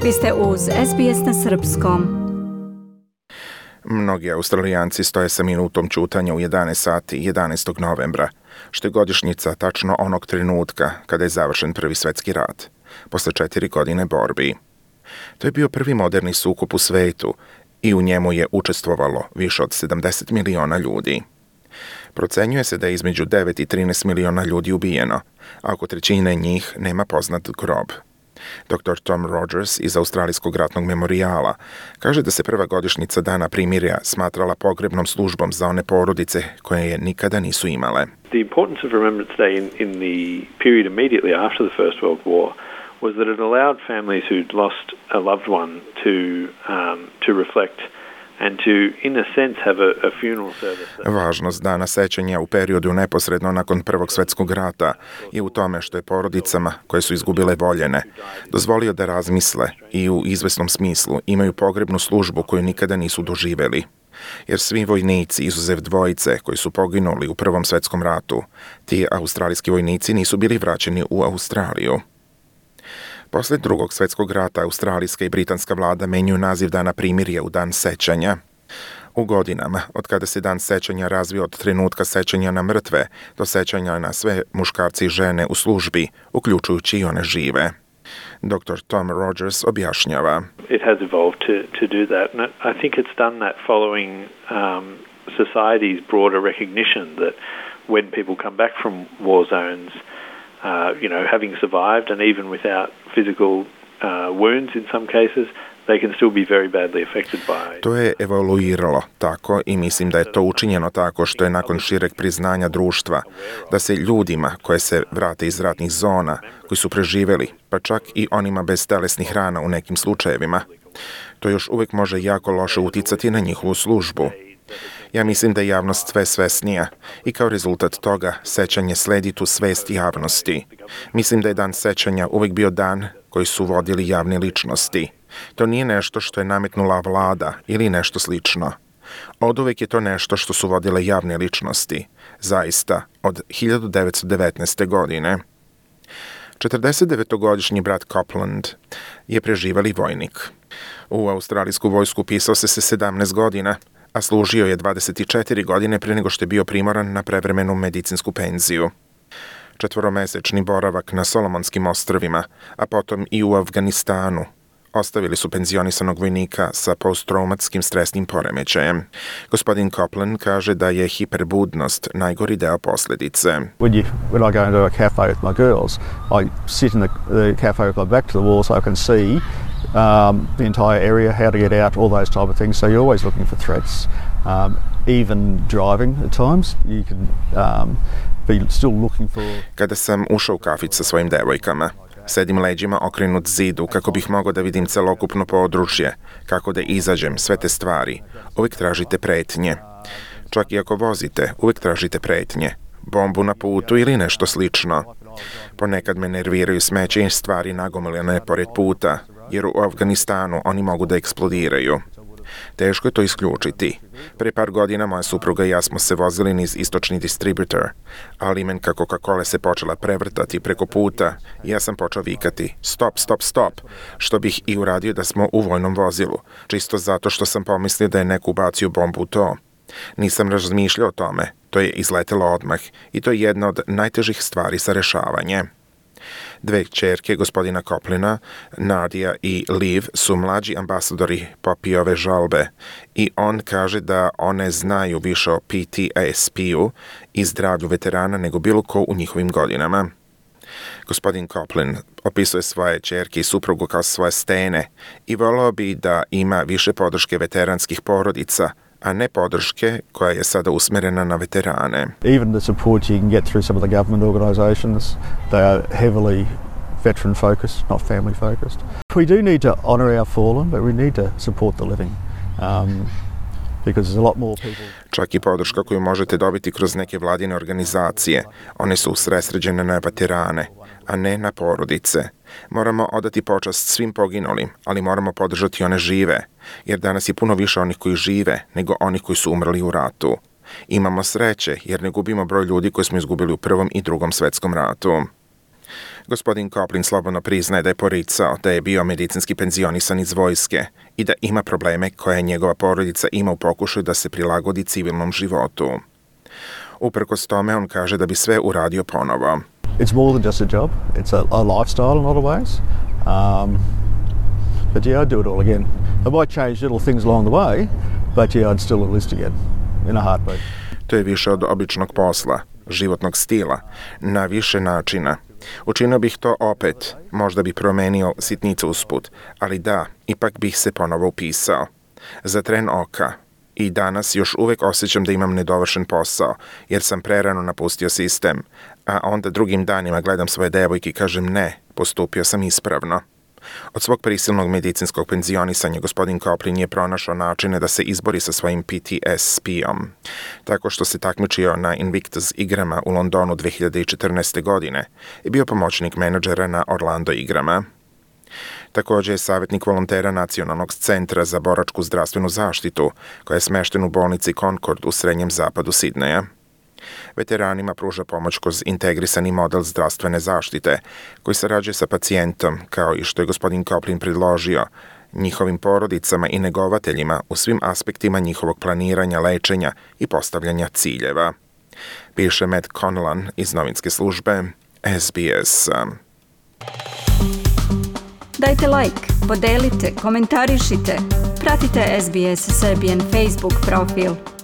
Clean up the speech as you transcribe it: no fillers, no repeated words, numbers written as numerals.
Vi ste uz SBS na srpskom. Mnogi Australijanci stoje sa minutom ćutanja u 11 sati 11. novembra, što je godišnjica tačno onog trenutka kada je završen Prvi svjetski rat, posle 4 godine borbi. To je bio prvi moderni sukob u svetu i u njemu je učestvovalo više od 70 miliona ljudi. Procenjuje se da je između 9 i 13 miliona ljudi ubijeno, a oko trećine njih nema poznat grob. Dr. Tom Rogers iz Australijskog ratnog memorijala kaže da se prva godišnjica Dana primirja smatrala pogrebnom službom za one porodice koje je nikada nisu imale. The importance of Remembrance Day in the period immediately after the First World War was that it allowed families who'd lost a loved one to reflect and to, in a sense, have a funeral service. Važnost Dana sećanja u periodu neposredno nakon Prvog svjetskog rata je u tome što je porodicama koje su izgubile voljene dozvolio da razmisle i u izvesnom smislu imaju pogrebnu službu koju nikada nisu doživjeli. Jer svi vojnici, izuzev dvojice koji su poginuli u Prvom svjetskom ratu, ti australijski vojnici nisu bili vraćeni u Australiju. Posle Drugog svjetskog rata australijska i britanska vlada menjaju naziv Dana primirja u Dan sećanja. U godinama, od kada se Dan sećanja razvio od trenutka sećanja na mrtve do sećanja na sve muškarci i žene u službi, uključujući i one žive. Dr. Tom Rogers objašnjava. It has evolved to do that, and I think it's done that following society's broader recognition that when people come back from war zones, having survived and even without physical wounds in some cases, they can still be very badly affected by. To je evoluiralo tako i mislim da je to učinjeno tako što je nakon šireg priznanja društva da se ljudima koje se vrate iz ratnih zona, koji su preživjeli, pa čak i onima bez telesnih rana u nekim slučajevima, to još uvijek može jako loše uticati na njihovu službu. Ja mislim da je javnost sve svesnija i kao rezultat toga sećanje sledi tu svest javnosti. Mislim da je Dan sećanja uvijek bio dan koji su vodili javne ličnosti. To nije nešto što je nametnula vlada ili nešto slično. Oduvijek je to nešto što su vodile javne ličnosti. Zaista, od 1919. godine. 49-godišnji brat Copeland je preživali vojnik. U australijsku vojsku upisao se 17 godina, a služio je 24 godine prije nego što je bio primoran na prevremenu medicinsku penziju. 4-mesečni boravak na Solomonskim ostrvima, a potom i u Afganistanu, ostavili su penzionisanog vojnika sa posttraumatskim stresnim poremećajem. Gospodin Copeland kaže da je hiperbudnost najgori deo posljedice. When I go into a cafe with my girls, I sit in the cafe with my back to the wall so I can see the entire area, how to get out, all those type of things. So you're always looking for threats. Even driving at times, you can be still looking for. Kada sam ušao u kafić sa svojim devojkama, sedim leđima okrenut zidu kako bih mogao da vidim celokupno područje, kako da izađem, sve te stvari. Uvijek tražite pretnje. Čak i ako vozite, uvijek tražite pretnje. Bombu na putu ili nešto slično. Ponekad me nerviraju smeće i stvari nagomiljene pored puta, jer u Afganistanu oni mogu da eksplodiraju. Teško je to isključiti. Pre par godina moja supruga i ja smo se vozili niz istočni distributor, ali imenka Coca-Cola se počela prevrtati preko puta i ja sam počeo vikati stop, stop, stop, što bih i uradio da smo u vojnom vozilu, čisto zato što sam pomislio da je neko ubacio bombu u to. Nisam razmišljao o tome, to je izletelo odmah i to je jedna od najtežih stvari za rešavanje. 2 kćerke gospodina Coplina, Nadia i Liv, su mlađi ambasadori Popijove žalbe i on kaže da one znaju više o PTSP-u i zdravlju veterana nego bilo ko u njihovim godinama. Gospodin Coplin opisuje svoje kćerke i suprugu kao svoje stene i voleo bi da ima više podrške veteranskih porodica, a ne podrške koja je sada usmerena na veterane. Even the support you can get through some of the government organisations, they are heavily veteran focused, not family focused. We do need to honour our fallen, but we need to support the living. Because there's a lot more people. Čak i podrška koju možete dobiti kroz neke vladine organizacije, one su usredsređene na veterane, a ne na porodice. Moramo odati počast svim poginulim, ali moramo podržati one žive, jer danas je puno više onih koji žive nego onih koji su umrli u ratu. Imamo sreće jer ne gubimo broj ljudi koji smo izgubili u Prvom i Drugom svjetskom ratu. Gospodin Coplin slobodno priznaje da je poricao da je bio medicinski penzionisan iz vojske i da ima probleme koje njegova porodica ima u pokušaju da se prilagodi civilnom životu. Uprkos tome, on kaže da bi sve uradio ponovo. It's more than just a job. It's a lifestyle in a lot of ways. But yeah, I'd do it all again. I might change little things along the way, but yeah, I'd still enlist again in a heartbeat. To je više od običnog posla, životnog stila, na više načina. Učinio bih to opet, možda bi promenio sitnice usput, ali da, ipak bih se ponovo upisao. Za tren oka. I danas još uvek osjećam da imam nedovršen posao, jer sam prerano napustio sistem, a onda drugim danima gledam svoje devojke i kažem ne, postupio sam ispravno. Od svog prisilnog medicinskog penzionisanja gospodin Coplin je pronašao načine da se izbori sa svojim PTSP-om, tako što se takmičio na Invictus igrama u Londonu 2014. godine i bio pomoćnik menadžera na Orlando igrama. Također je savjetnik volontera Nacionalnog centra za boračku zdravstvenu zaštitu, koja je smještena u bolnici Concord u srednjem zapadu Sidneja. Veteranima pruža pomoć kroz integrisani model zdravstvene zaštite, koji sarađuje sa pacijentom, kao i što je gospodin Coplin predložio, njihovim porodicama i negovateljima u svim aspektima njihovog planiranja, lečenja i postavljanja ciljeva. Piše Matt Conlan iz novinske službe SBS. Dajte like, podelite, komentarišite, pratite SBS Serbian Facebook profil.